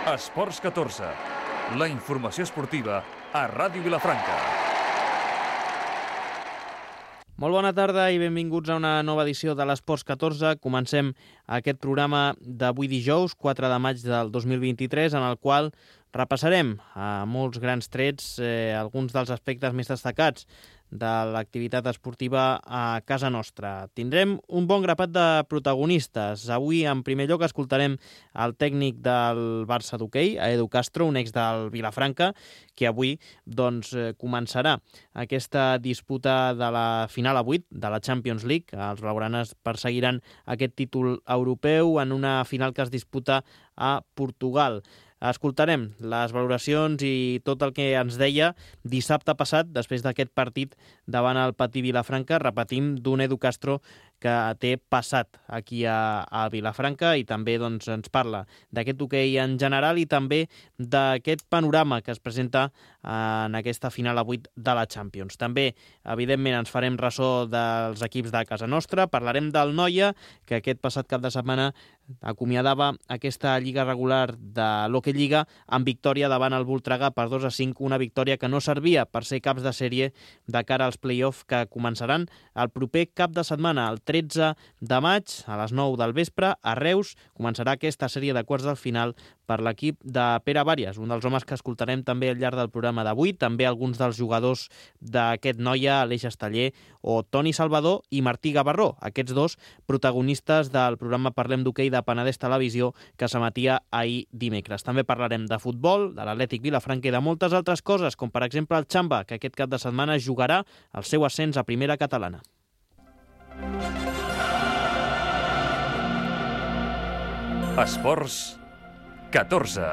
Esports 14, la informació esportiva a Ràdio Vilafranca. Molt bona tarda i benvinguts a una nova edició de l'Esports 14. Comencem aquest programa d'avui dijous, 4 de maig del 2023, en el qual repassarem a molts grans trets alguns dels aspectes més destacats de l'activitat esportiva a casa nostra. Tindrem un bon grapat de protagonistes. Avui, en primer lloc, escoltarem el tècnic del Barça d'hoquei, Edu Castro, un ex del Vilafranca, que avui començarà aquesta disputa de la final a 8 de la Champions League. Els blaugranes perseguiran aquest títol europeu en una final que es disputa a Portugal. Escoltarem les valoracions i tot el que ens deia dissabte passat, després d'aquest partit davant el Patí Vilafranca, repetim, d'un Edu Castro que té passat aquí a Vilafranca i també ens parla d'aquest hoquei en general i també d'aquest panorama que es presenta en aquesta final a 8 de la Champions. També, evidentment, ens farem ressò dels equips de casa nostra, parlarem del Noia, que aquest passat cap de setmana acomiadava aquesta lliga regular de l'Hockey Lliga amb victòria davant el Voltregà per 2-5, una victòria que no servia per ser caps de sèrie de cara als play-off que començaran el proper cap de setmana, el 13 de maig, a les 9 del vespre, a Reus, començarà aquesta sèrie de quarts del final per l'equip de Pere Bàries, un dels homes que escoltarem també al llarg del programa d'avui, també alguns dels jugadors d'aquest Noia, Aleix Esteller o Toni Salvador i Martí Gavarró, aquests dos protagonistes del programa Parlem d'Hoquei de Penedès Televisió que s'emetia ahir dimecres. També parlarem de futbol, de l'Atlètic Vilafranca i de moltes altres coses, com per exemple el Xamba, que aquest cap de setmana jugarà el seu ascens a primera catalana. Esports 14.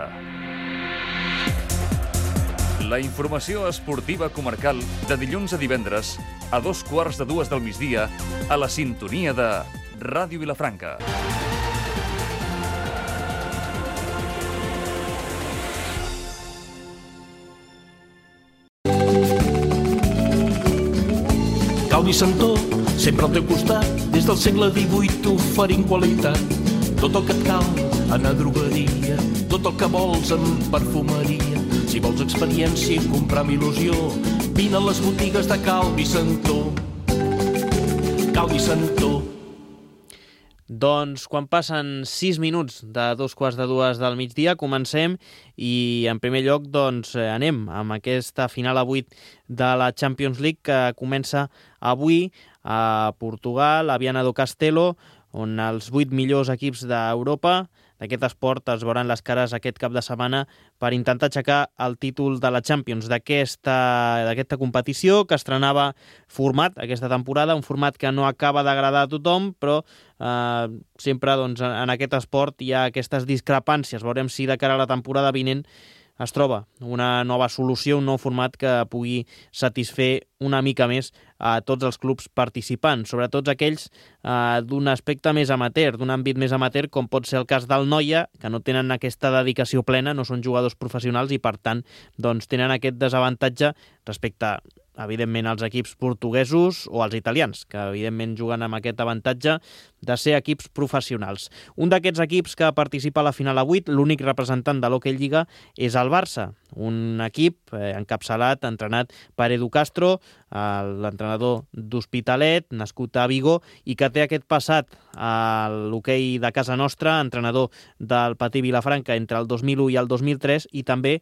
La informació esportiva comarcal de dilluns a divendres a 2:15 del migdia a la sintonia de Ràdio Vilafranca. Calvi Santó, sempre al teu costat, des del segle XVIII oferint qualitat. Tot el que et cal en a drogueria, tot el que vols en perfumeria. Si vols experiència i comprar amb il·lusió, vine a les botigues de Calvi Santó. Calvi Santó. Doncs quan passen 6 minuts de 2:15 del migdia, comencem i en primer lloc anem amb aquesta final a 8 de la Champions League que comença avui a Portugal, a Viana do Castelo, on els 8 millors equips d'Europa d'aquest esport es veuran les cares aquest cap de setmana per intentar aixecar el títol de la Champions d'aquesta competició que estrenava format aquesta temporada, un format que no acaba d'agradar a tothom, però sempre en aquest esport hi ha aquestes discrepàncies. Veurem si de cara a la temporada vinent es troba una nova solució, un nou format que pugui satisfer una mica més a tots els clubs participants, sobretot aquells d'un aspecte més amateur, d'un àmbit més amateur, com pot ser el cas del Noia, que no tenen aquesta dedicació plena, no són jugadors professionals i, per tant, tenen aquest desavantatge respecte evidentment als equips portuguesos o als italians, que evidentment juguen amb aquest avantatge de ser equips professionals. Un d'aquests equips que participa a la final a 8, l'únic representant de l'Hockey Lliga, és el Barça, un equip encapçalat, entrenat per Edu Castro, l'entrenador d'Hospitalet, nascut a Vigo, i que té aquest passat a l'hoquei de casa nostra, entrenador del Patí Vilafranca entre el 2001 i el 2003, i també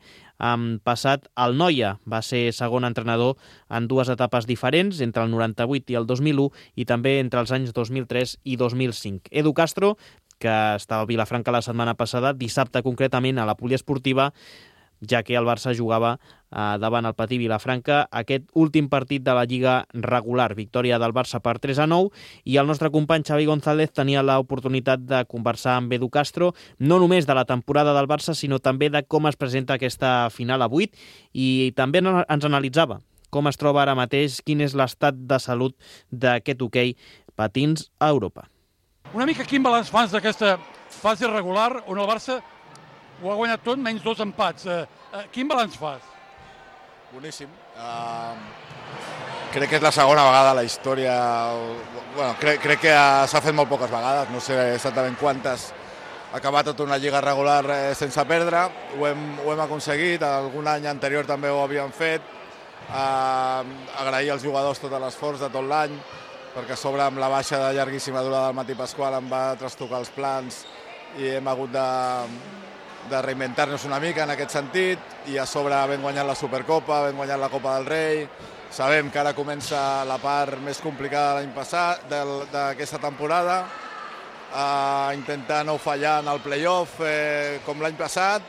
passat al Noia. Va ser segon entrenador en dues etapes diferents, entre el 98 i el 2001, i també entre els anys 2003 i 2005. Edu Castro, que estava a Vilafranca la setmana passada, dissabte concretament a la poliesportiva, ja que el Barça jugava davant el Patí Vilafranca aquest últim partit de la Lliga regular. Victòria del Barça per 3-9 i el nostre company Xavi González tenia l'oportunitat de conversar amb Edu Castro, no només de la temporada del Barça, sinó també de com es presenta aquesta final a 8 i també ens analitzava com es troba ara mateix, quin és l'estat de salut d'aquest hoquei patins a Europa. Una mica quin balanç fas d'aquesta fase regular on el Barça ho ha guanyat tot, menys 2 empats. Quin balanç fas? Boníssim. Crec que és la segona vegada a la història... Bueno, crec que s'ha fet molt poques vegades, no sé exactament quantes acabar tota una lliga regular sense perdre. Ho hem aconseguit, algun any anterior també ho havíem fet. Agrair als jugadors tot l'esforç de tot l'any, perquè a sobre amb la baixa de llarguíssima durada del Martí Pasqual em va trastocar els plans i hem hagut de reinventar-nos una mica en aquest sentit, i a sobre hem guanyat la Supercopa, hem guanyat la Copa del Rei. Sabem que ara comença la part més complicada de l'any passat, d'aquesta temporada, intentar no fallar en el play-off com l'any passat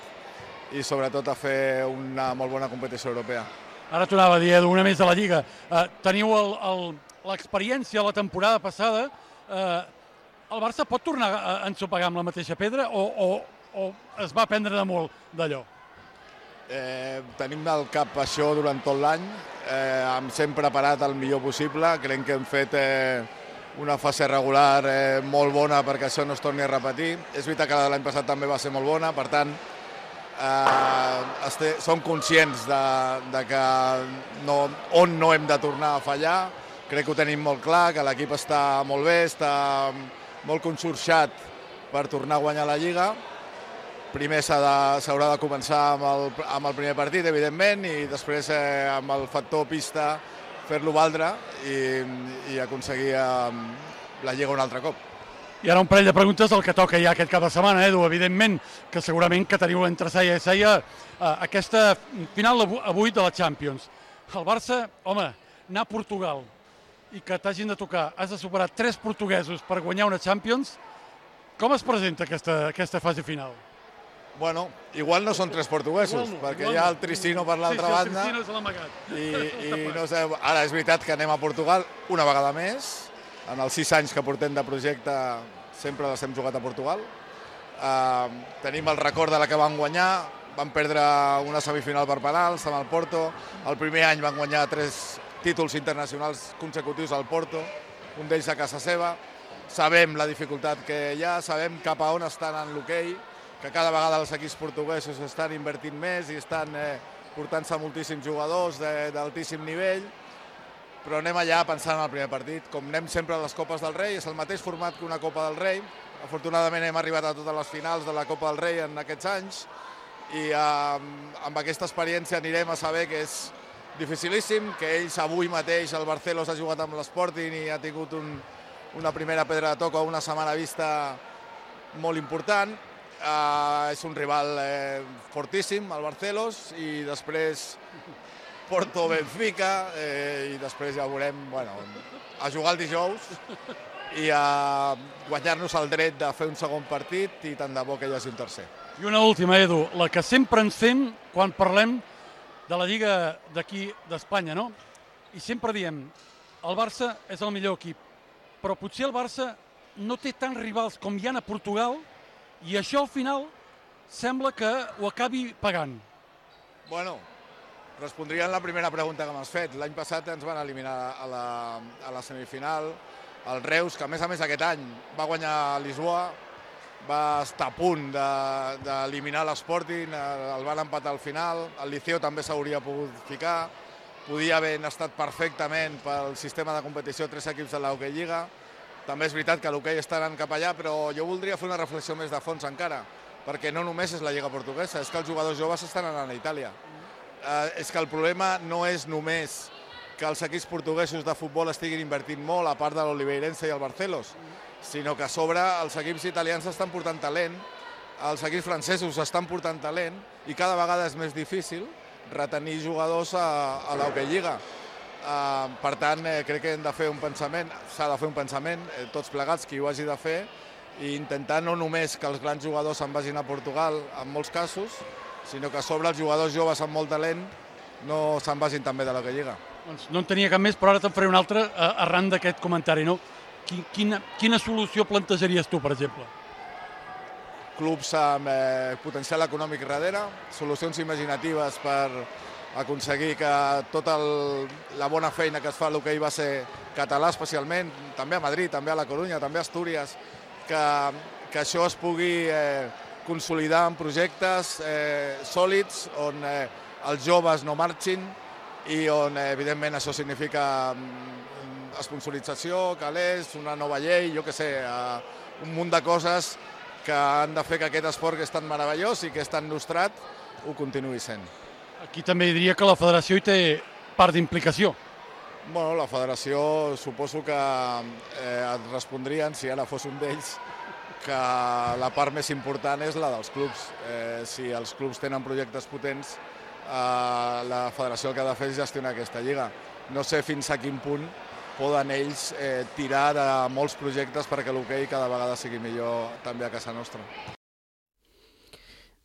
i sobretot a fer una molt bona competició europea. Ara t'ho anava a dir, Edu, una més de la Lliga. Teniu l'experiència la temporada passada. El Barça pot tornar a ensopegar amb la mateixa pedra o es va aprendre de molt d'allò? Tenim al cap això durant tot l'any. Ens hem preparat el millor possible. Creiem que hem fet una fase regular molt bona perquè això no es torni a repetir. És veritat que l'any passat també va ser molt bona, per tant, som conscients de que on no hem de tornar a fallar. Crec que ho tenim molt clar, que l'equip està molt bé, està molt conxorxat per tornar a guanyar la Lliga. Primer s'haurà de començar amb el primer partit, evidentment, i després amb el factor pista fer-lo valdre i aconseguir la Lliga un altre cop. I ara un parell de preguntes del que toca ja aquest cap de setmana, Edu. Evidentment que segurament que teniu entre seia i seia aquesta final avui de la Champions. El Barça, home, anar a Portugal i que t'hagin de tocar, has de superar 3 portuguesos per guanyar una Champions. Com es presenta aquesta fase final? Bueno, igual no són 3 portuguesos, perquè hi ha el Tricino per l'altra banda. Sí, el Tricino és l'amagat. I no sé, ara és veritat que anem a Portugal una vegada més. En els 6 anys que portem de projecte sempre les hem jugat a Portugal. Tenim el record de la que van guanyar, van perdre una semifinal per penals amb el Porto. El primer any van guanyar 3 títols internacionals consecutius al Porto, un d'ells a casa seva. Sabem la dificultat que hi ha, sabem cap a on estan en l'hoquei, que cada vegada els equips portuguesos estan invertint més i estan portant-se moltíssims jugadors d'altíssim nivell, però anem allà pensant en el primer partit. Com anem sempre a les Copes del Rei, és el mateix format que una Copa del Rei. Afortunadament hem arribat a totes les finals de la Copa del Rei en aquests anys i amb aquesta experiència anirem a saber que és dificilíssim, que ells avui mateix, el Barcelos ha jugat amb l'Sporting i ha tingut una primera pedra de toc a una setmana vista molt important. És un rival fortíssim, el Barcelos, i després Porto, Benfica, i després ja veurem, a jugar el dijous i a guanyar-nos el dret de fer un segon partit i tant de bo que hi hagi un tercer. I una última, Edu, la que sempre ens fem quan parlem de la Lliga d'aquí d'Espanya, no? I sempre diem, el Barça és el millor equip, però potser el Barça no té tants rivals com hi ha a Portugal i això al final sembla que ho acabi pagant. Bueno, respondria en la primera pregunta que m'has fet. L'any passat ens van eliminar a la semifinal el Reus, que a més aquest any va guanyar a Lisboa, va estar a punt d'eliminar l'Sporting, el van empatar al final, el Liceo també s'hauria pogut ficar, podia haver estat perfectament pel sistema de competició 3 equips de l'Hockey Lliga. També és veritat que l'hoquei està anant cap allà, però jo voldria fer una reflexió més de fons encara, perquè no només és la Lliga portuguesa, és que els jugadors joves estan anant a Itàlia. És que el problema no és només que els equips portuguesos de futbol estiguin invertint molt, a part de l'Oliveirense i el Barcelos, sinó que a sobre els equips italians estan portant talent, els equips francesos estan portant talent i cada vegada és més difícil retenir jugadors a l'Hockey Lliga. Per tant, crec que hem de fer un pensament, s'ha de fer un pensament, tots plegats, qui ho hagi de fer, i intentar no només que els grans jugadors se'n vagin a Portugal, en molts casos, sinó que a sobre els jugadors joves amb molt talent no se'n vagin també de l'Hockey Lliga. Doncs no en tenia cap més, però ara te'n faré una altra arran d'aquest comentari, no? Quina solució plantejaries tu, per exemple? Clubs amb potencial econòmic darrere, solucions imaginatives per aconseguir que tota la bona feina que es fa a l'hoquei base català especialment, també a Madrid, també a la Corunya, també a Astúries, que això es pugui consolidar en projectes sòlids on els joves no marxin i on evidentment això significa sponsorització, calés, una nova llei, jo què sé, un munt de coses que han de fer que aquest esport que és tan meravellós i que és tan nostrat ho continuï sent. Aquí també diria que la federació hi té part d'implicació. Bueno, la federació suposo que et respondrien, si ara fos un d'ells, que la part més important és la dels clubs. Si els clubs tenen projectes potents, la federació el que ha de fer és gestionar aquesta lliga. No sé fins a quin punt poden ells tirar de molts projectes perquè l'hoquei cada vegada sigui millor també a casa nostra.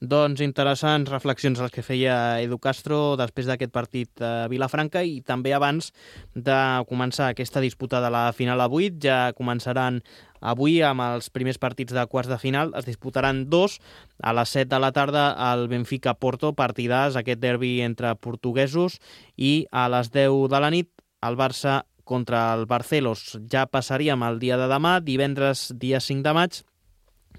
Doncs interessants reflexions les que feia Edu Castro després d'aquest partit a Vilafranca i també abans de començar aquesta disputa de la final a 8. Ja començaran avui amb els primers partits de quarts de final. Es disputaran 2 a les 7 de la tarda al Benfica-Porto, partidàs, aquest derbi entre portuguesos, i a les 10 de la nit el Barça contra el Barcelos. Ja passaríem al dia de demà, divendres dia 5 de maig,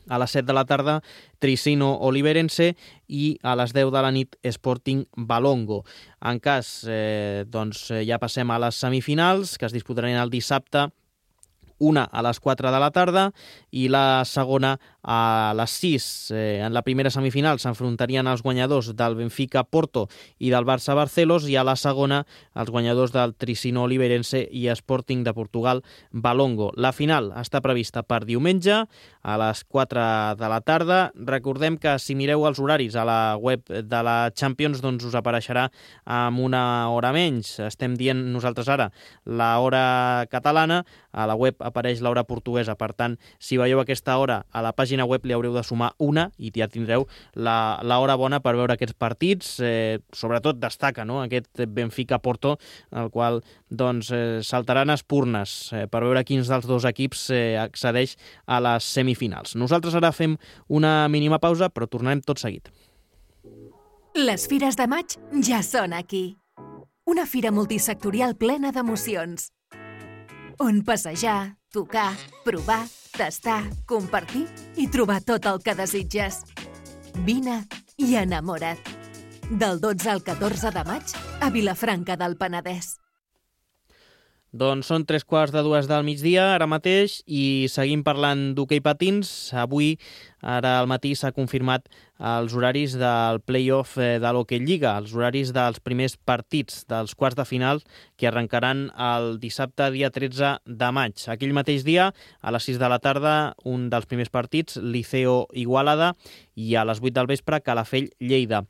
a les 7 de la tarda, Tricino-Oliveirense, i a les 10 de la nit, Sporting Balongo. En cas, ja passem a les semifinals, que es disputaran el dissabte, una a les 4 de la tarda i la segona a les 6. En la primera semifinal s'enfrontarien els guanyadors del Benfica-Porto i del Barça-Barcelos, i a la segona els guanyadors del Tricino-Oliveirense i Sporting de Portugal-Balongo. La final està prevista per diumenge a les 4 de la tarda. Recordem que si mireu els horaris a la web de la Champions, doncs us apareixerà amb una hora menys. Estem dient nosaltres ara l'hora catalana, a la web apareix l'hora portuguesa. Per tant, si veieu aquesta hora a la pàgina web li haureu de sumar una i ja tindreu l'hora bona per veure aquests partits. Sobretot destaca aquest Benfica-Porto, el qual saltaran espurnes per veure quins dels dos equips accedeix a les semifinals. Nosaltres ara fem una mínima pausa, però tornarem tot seguit. Les fires de maig ja són aquí. Una fira multisectorial plena d'emocions, on passejar, tocar, provar, tastar, compartir i trobar tot el que desitges. Vine i enamora't. Del 12 al 14 de maig a Vilafranca del Penedès. Doncs són 3:45 del migdia ara mateix i seguim parlant d'hoquei patins. Avui, ara al matí, s'ha confirmat els horaris del play-off de l'Hockey Lliga, els horaris dels primers partits dels quarts de final que arrencaran el dissabte, dia 13 de maig. Aquell mateix dia, a les 6 de la tarda, un dels primers partits, Liceo Igualada, i a les 8 del vespre, Calafell Lleida.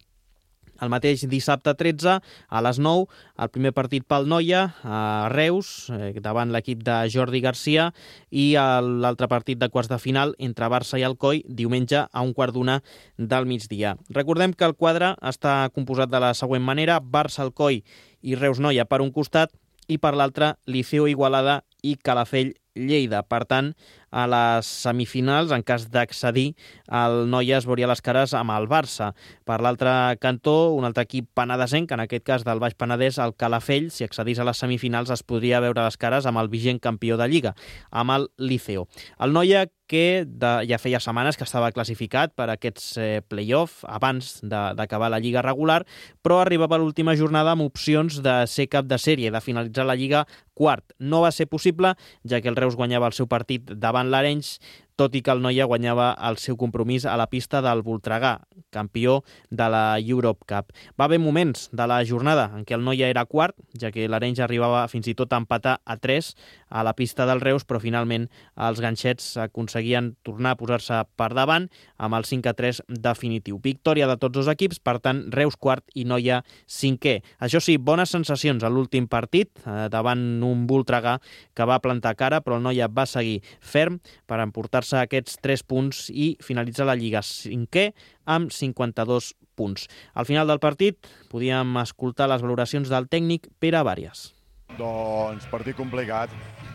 El mateix dissabte 13, a les 9, el primer partit pel Noia, a Reus, davant l'equip de Jordi Garcia, i l'altre partit de quarts de final entre Barça i Alcoi, diumenge a 1:15 del migdia. Recordem que el quadre està composat de la següent manera: Barça, Alcoi i Reus Noia per un costat, i per l'altre Liceo Igualada i Calafell Lleida. Per tant, a les semifinals, en cas d'accedir, el Noia es veuria les cares amb el Barça. Per l'altre cantó, un altre equip penedesenc, en aquest cas del Baix Penedès, el Calafell, si accedís a les semifinals, es podria veure les cares amb el vigent campió de Lliga, amb el Liceo. El Noia, que ja feia setmanes que estava classificat per aquests play-off abans d'acabar la Lliga regular, però arribava a l'última jornada amb opcions de ser cap de sèrie, de finalitzar la Lliga quart. No va ser possible, ja que el Reus guanyava el seu partit davant l'Arenys, tot i que el Noia guanyava el seu compromís a la pista del Voltregà, campió de la Europe Cup. Va haver moments de la jornada en què el Noia era quart, ja que l'Arenys arribava fins i tot a empatar a 3 a la pista del Reus, però finalment els ganxets aconseguien tornar a posar-se per davant amb el 5-3 definitiu. Victòria de tots dos equips, per tant, Reus quart i Noia cinquè. Això sí, bones sensacions a l'últim partit, davant un Voltregà que va plantar cara, però el Noia va seguir ferm per emportar-se aquests 3 punts i finalitzar la Lliga cinquè amb 52 punts. Al final del partit podíem escoltar les valoracions del tècnic Pere Bàries. Doncs partit complicat.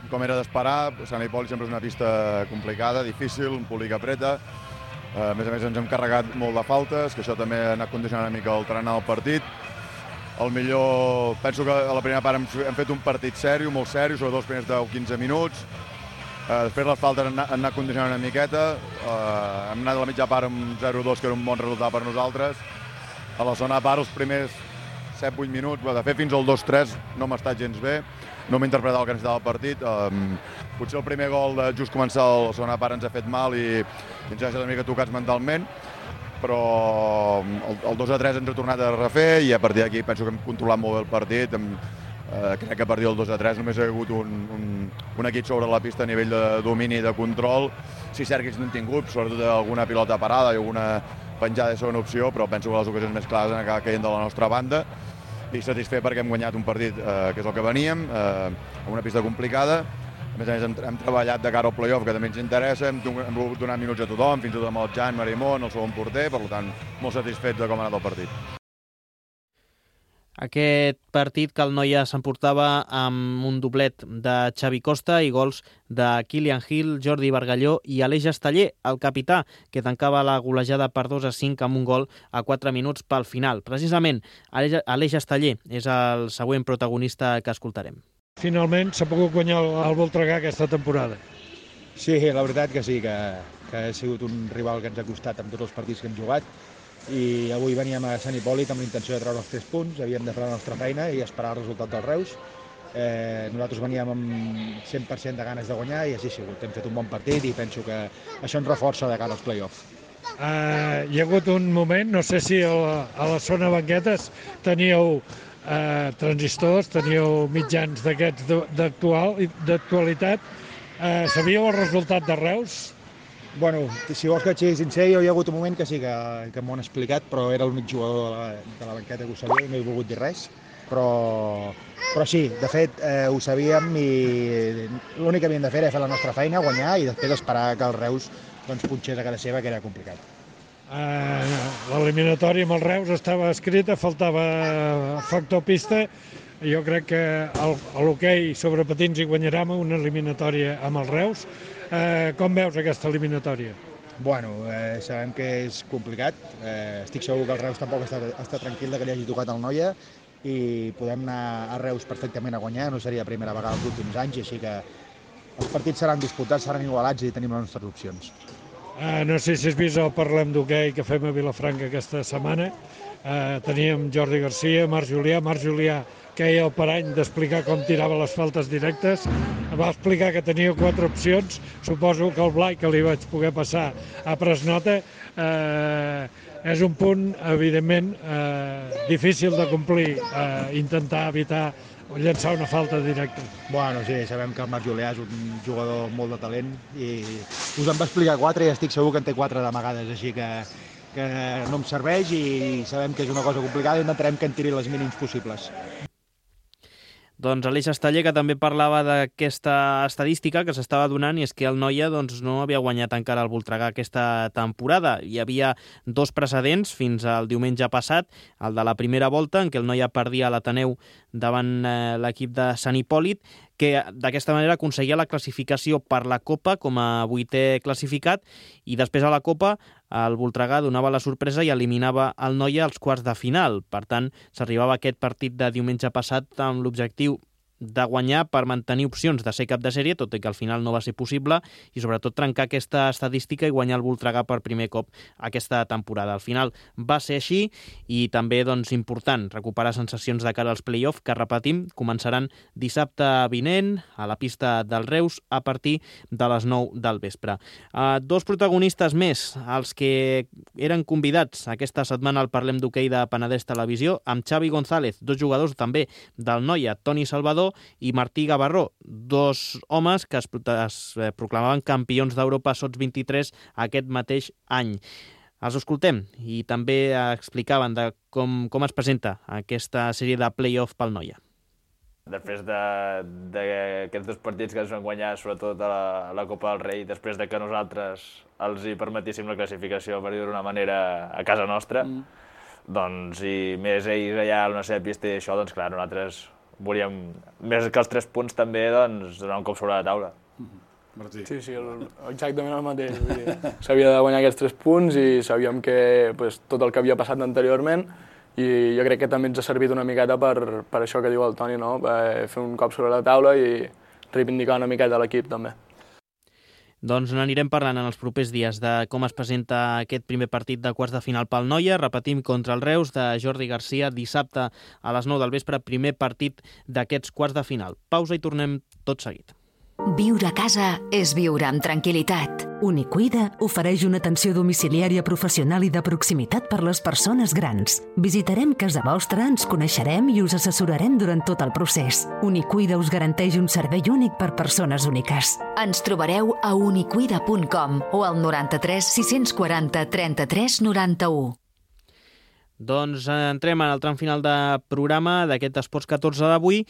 Com era d'esperar, Sant Hipòlit sempre és una pista complicada, difícil, un públic apreta. A més ens hem carregat molt de faltes, que això també ha anat condicionant una mica el trenar del partit. El millor, penso que a la primera part hem fet un partit sèrio, molt sèrio, sobretot els primers 10-15 minuts. Després les faltes han anat condicionant una miqueta. Hem anat a la mitja part amb 0-2, que era un bon resultat per nosaltres. A la segona part, els primers 7-8 minuts, de fet fins al 2-3 no m'ha estat gens bé, no m'he interpretat el que necessitava el partit. Potser el primer gol de just començar la segona part ens ha fet mal i ens ha deixat una mica tocats mentalment, però el 2-3 ens ha tornat a refer i a partir d'aquí penso que hem controlat molt bé el partit. Crec que a partir del 2-3 només ha hagut un equip sobre la pista a nivell de domini i de control. Sí, cert que no hem tingut, sobretot alguna pilota parada i alguna penjada de segona opció, però penso que les ocasions més clares han acabat caient de la nostra banda i satisfet perquè hem guanyat un partit que és el que veníem, amb una pista complicada. A més hem treballat de cara al play-off, que també ens interessa, hem volgut donar minuts a tothom, fins i tot amb el Jan Marimón, el segon porter, per tant, molt satisfet de com ha anat el partit. Aquest partit que el Noia s'emportava amb un doblet de Xavi Costa i gols de Kilian Hill, Jordi Bargalló i Aleix Esteller, el capità, que tancava la golejada per 2-5 amb un gol a 4 minuts pel final. Precisament, Aleix Esteller és el següent protagonista que escoltarem. Finalment s'ha pogut guanyar el Voltregà aquesta temporada. Sí, la veritat que sí, que ha sigut un rival que ens ha costat amb tots els partits que hem jugat i avui veníem a Sant Hipòlit amb la intenció de treure els 3 punts, havíem de fer la nostra feina i esperar el resultat del Reus. Nosaltres veníem amb 100% de ganes de guanyar i així ha sigut. Hem fet un bon partit i penso que això ens reforça de cara als play-off. Hi ha hagut un moment, no sé si a la zona banquetes teníeu transistors, teníeu mitjans d'aquests d'actualitat. Sabíeu el resultat de Reus? Bueno, si vols que et sigui sincer, hi ha hagut un moment que sí que m'ho han explicat, però era l'únic jugador de la banqueta que ho sabia i no he volgut dir res. Però sí, de fet, ho sabíem i l'únic que havíem de fer era fer la nostra feina, guanyar i després esperar que el Reus punxés a casa seva, que era complicat. L'eliminatòria amb el Reus estava escrita, faltava factor pista. Jo crec que a l'hoquei sobre patins hi guanyarem una eliminatòria amb el Reus. Com veus aquesta eliminatòria? Bueno, sabem que és complicat. Estic segur que el Reus tampoc està tranquil que li hagi tocat el Noia i podem anar a Reus perfectament a guanyar. No seria la primera vegada els últims anys, així que els partits seran disputats, seran igualats i tenim les nostres opcions. No sé si has vist el Parlem d'Hoquei que fem a Vilafranca aquesta setmana. Teníem Jordi Garcia, Marc Julià, que era el parany d'explicar com tirava les faltes directes. Va explicar que tenia 4 opcions. Suposo que el Blai, que li vaig poder passar, ha pres nota. És un punt, evidentment, difícil de complir, intentar evitar llançar una falta directa. Bueno, sí, sabem que el Marc Julià és un jugador molt de talent i us en va explicar 4 i estic segur que en té 4 d'amagades, així que no em serveix i sabem que és una cosa complicada i intentarem que en tiri les mínims possibles. Doncs Aleix Esteller, que també parlava d'aquesta estadística que s'estava donant, i és que el Noia no havia guanyat encara el Voltregà aquesta temporada. Hi havia 2 precedents fins al diumenge passat, el de la primera volta, en què el Noia perdia a l'Ateneu davant l'equip de Sant Hipòlit, que d'aquesta manera aconseguia la classificació per la Copa com a 8è classificat, i després a la Copa el Voltregà donava la sorpresa i eliminava el Noia als quarts de final. Per tant, s'arribava a aquest partit de diumenge passat amb l'objectiu de guanyar per mantenir opcions de ser cap de sèrie, tot i que al final no va ser possible, i sobretot trencar aquesta estadística i guanyar el Voltregà per primer cop aquesta temporada. Al final va ser així i també important recuperar sensacions de cara als play-off, que repetim, començaran dissabte vinent a la pista del Reus a partir de les 9 del vespre. 2 protagonistes més, els que eren convidats aquesta setmana al Parlem d'Hoquei de Penedès Televisió, amb Xavi González, 2 jugadors també del Noia, Toni Salvador i Martí Gavarró, 2 homes que es proclamaven campions d'Europa Sots 23 aquest mateix any. Els escoltem i també explicaven de com es presenta aquesta sèrie de play-off pel Noia. Després d'aquests 2 partits que ens van guanyar, sobretot a la Copa del Rei, després de que nosaltres els hi permetíssim la classificació, per dir-ho d'una manera, a casa nostra, doncs, i més ells allà a la seva pista i això, doncs clar, nosaltres volíem, més que els 3 punts també, doncs, donar un cop sobre la taula. Martí. Sí, exactament el mateix. S'havia de guanyar aquests 3 punts i sabíem que tot el que havia passat anteriorment, i jo crec que també ens ha servit una miqueta per això que diu el Toni, no? Fer un cop sobre la taula i reivindicar una miqueta l'equip també. Doncs n'anirem parlant en els propers dies de com es presenta aquest primer partit de quarts de final pel Noia. Repetim, contra el Reus, de Jordi Garcia, dissabte a les 9 del vespre, primer partit d'aquests quarts de final. Pausa i tornem tot seguit. Viure a casa és viure amb tranquil·litat. Unicuida ofereix una atenció domiciliària professional i de proximitat per les persones grans. Visitarem casa vostra, ens coneixerem i us assessorarem durant tot el procés. Unicuida us garanteix un servei únic per persones úniques. Ens trobareu a unicuida.com o al 93 640 33 91. Doncs entrem en el tram final de programa d'aquest Esports 14 d'avui.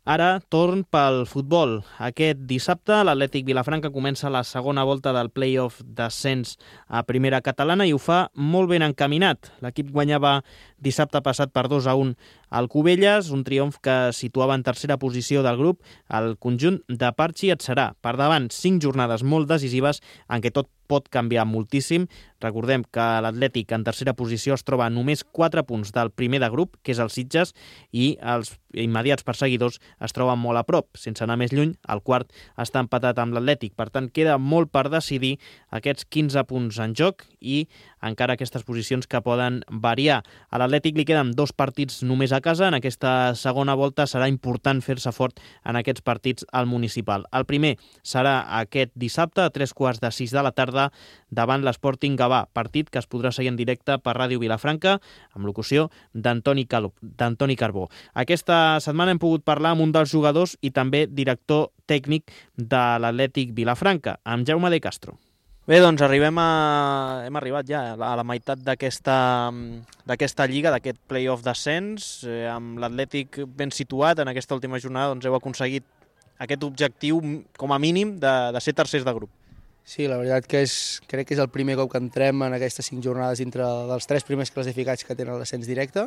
Ara, torn pel futbol. Aquest dissabte, l'Atlètic Vilafranca comença la segona volta del play-off d'ascens a primera catalana i ho fa molt ben encaminat. L'equip guanyava dissabte passat per 2-1 al Cubelles, un triomf que situava en tercera posició del grup el conjunt de Parchi et serà. Per davant, 5 jornades molt decisives en què tot pot canviar moltíssim. Recordem que l'Atlètic en tercera posició es troba a només 4 punts del primer de grup, que és el Sitges, i els immediats perseguidors es troben molt a prop. Sense anar més lluny, el quart està empatat amb l'Atlètic. Per tant, queda molt per decidir aquests 15 punts en joc i encara aquestes posicions que poden variar. A l'Atlètic li queden 2 partits només a casa. En aquesta segona volta serà important fer-se fort en aquests partits al municipal. El primer serà aquest dissabte a 3:15 de la tarda davant l'Sporting Gavà, partit que es podrà seguir en directe per Ràdio Vilafranca amb locució d'Antoni Carbó. Aquesta setmana hem pogut parlar amb un dels jugadors i també director tècnic de l'Atlètic Vilafranca, amb Jaume de Castro. Bé, doncs hem arribat ja a la meitat d'aquesta lliga, d'aquest play-off d'ascens, amb l'Atlètic ben situat en aquesta última jornada, doncs heu aconseguit aquest objectiu com a mínim de ser tercers de grup. Sí, la veritat que crec que és el primer cop que entrem en aquestes 5 jornades dintre dels 3 primers classificats que tenen l'ascens directe.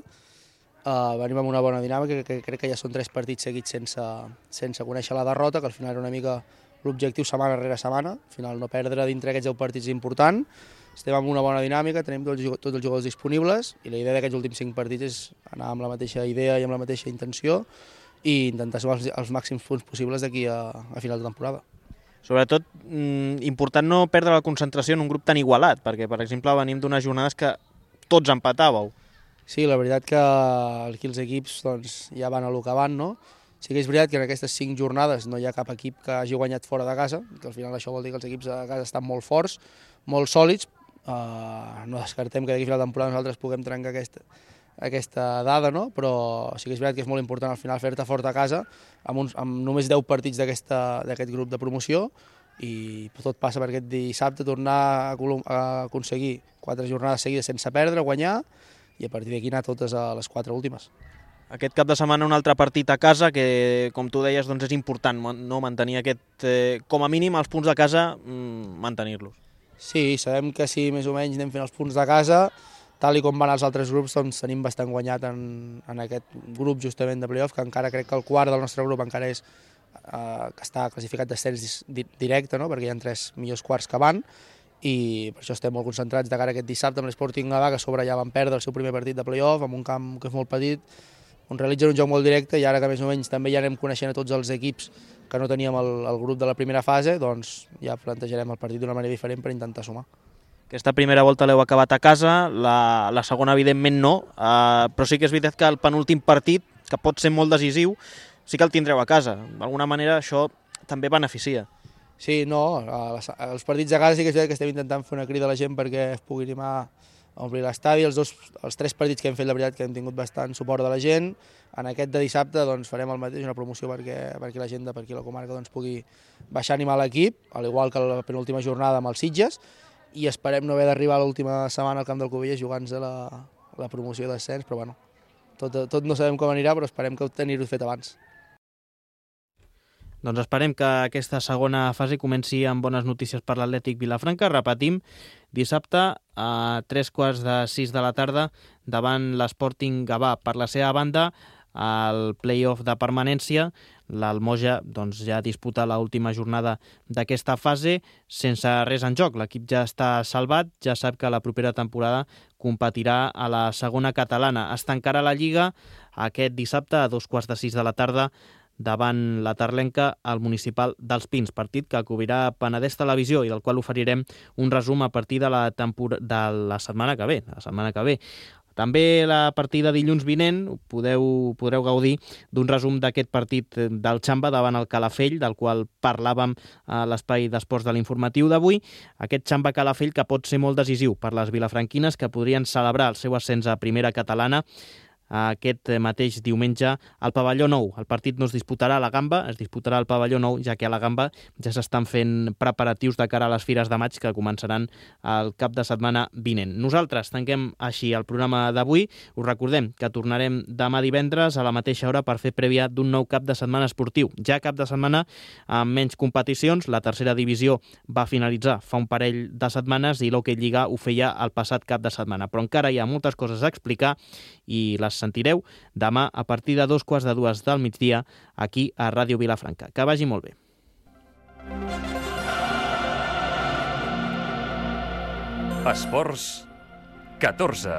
Venim amb una bona dinàmica, que crec que ja són 3 partits seguits sense conèixer la derrota, que al final era una mica l'objectiu setmana rere setmana. Al final no perdre dintre aquests 10 partits és important. Estem amb una bona dinàmica, tenim tots els jugadors disponibles i la idea d'aquests últims 5 partits és anar amb la mateixa idea i amb la mateixa intenció i intentar sumar els màxims punts possibles d'aquí a final de temporada. Sobretot, important no perdre la concentració en un grup tan igualat, perquè, per exemple, venim d'unes jornades que tots empatàveu. Sí, la veritat que aquí els equips ja van a lo que van, no? Sí que és veritat que en aquestes 5 jornades no hi ha cap equip que hagi guanyat fora de casa, que al final això vol dir que els equips a casa estan molt forts, molt sòlids. No descartem que d'aquí a final de temporada nosaltres puguem trencar aquesta dada, no? Però sí que és veritat que és molt important al final fer-te fort a casa amb només 10 partits d'aquest grup de promoció i tot passa per aquest dissabte tornar a aconseguir 4 jornades seguides sense perdre, guanyar i a partir d'aquí anar totes a les 4 últimes. Aquest cap de setmana un altre partit a casa que, com tu deies, doncs és important no mantenir com a mínim els punts de casa, mantenir-los. Sí, sabem que si més o menys anem fent els punts de casa, tal com van els altres grups, doncs tenim bastant guanyat en aquest grup justament de play-off, que encara crec que el quart del nostre grup encara és que està classificat d'ascens directe, no? Perquè hi ha 3 millors quarts que van, i per això estem molt concentrats de cara a aquest dissabte amb l'Sporting Gavà, que a sobre ja van perdre el seu primer partit de play-off, amb un camp que és molt petit, on realitzen un joc molt directe, i ara que més o menys també ja anem coneixent a tots els equips que no teníem el grup de la primera fase, doncs ja plantejarem el partit d'una manera diferent per intentar sumar. Aquesta primera volta l'heu acabat a casa, la segona evidentment no, però sí que és veritat que el penúltim partit, que pot ser molt decisiu, sí que el tindreu a casa. D'alguna manera això també beneficia. Sí, no, els partits a casa sí que és veritat que estem intentant fer una crida a la gent perquè es pugui animar a omplir l'estadi. Els 3 partits que hem fet, la veritat que hem tingut bastant suport de la gent. En aquest de dissabte doncs, farem el mateix, una promoció perquè la gent per aquí a la comarca doncs, pugui baixar a animar l'equip, al igual que la penúltima jornada amb els Sitges, i esperem no haver d'arribar a l'última setmana al camp del Cubelles jugant-se la promoció d'ascens, però bueno, tot no sabem com anirà, però esperem que tenir-ho fet abans. Doncs esperem que aquesta segona fase comenci amb bones notícies per l'Atlètic Vilafranca. Repetim, dissabte a 3:15 de la tarda davant l'Sporting Gavà. Per la seva banda, al play-off de permanència, l'Almoja doncs, ja disputa l'última jornada d'aquesta fase sense res en joc. L'equip ja està salvat, ja sap que la propera temporada competirà a la segona catalana. Es tancarà la Lliga aquest dissabte a 2:15 de la tarda davant la tarlenca al municipal dels Pins, partit que cobrirà Penedès Televisió i del qual oferirem un resum a partir de la setmana que ve. També la partida dilluns vinent podreu gaudir d'un resum d'aquest partit del Xamba davant el Calafell, del qual parlàvem a l'espai d'esports de l'informatiu d'avui. Aquest Xamba-Calafell que pot ser molt decisiu per les vilafranquines, que podrien celebrar el seu ascens a primera catalana aquest mateix diumenge al Pavelló Nou. El partit no es disputarà a la Gamba, es disputarà al Pavelló Nou, ja que a la Gamba ja s'estan fent preparatius de cara a les Fires de Maig que començaran el cap de setmana vinent. Nosaltres tanquem així el programa d'avui. Us recordem que tornarem demà divendres a la mateixa hora per fer prèvia d'un nou cap de setmana esportiu. Ja cap de setmana amb menys competicions. La tercera divisió va finalitzar fa un parell de setmanes i l'Hockey Lliga ho feia el passat cap de setmana. Però encara hi ha moltes coses a explicar i les sentireu demà a partir de 2:45 del migdia aquí a Ràdio Vilafranca. Que vagi molt bé. Esports 14.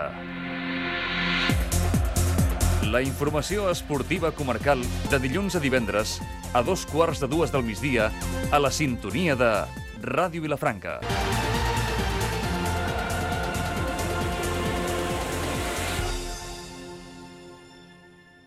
La informació esportiva comarcal de dilluns a divendres a 2:15 del migdia a la sintonia de Ràdio Vilafranca.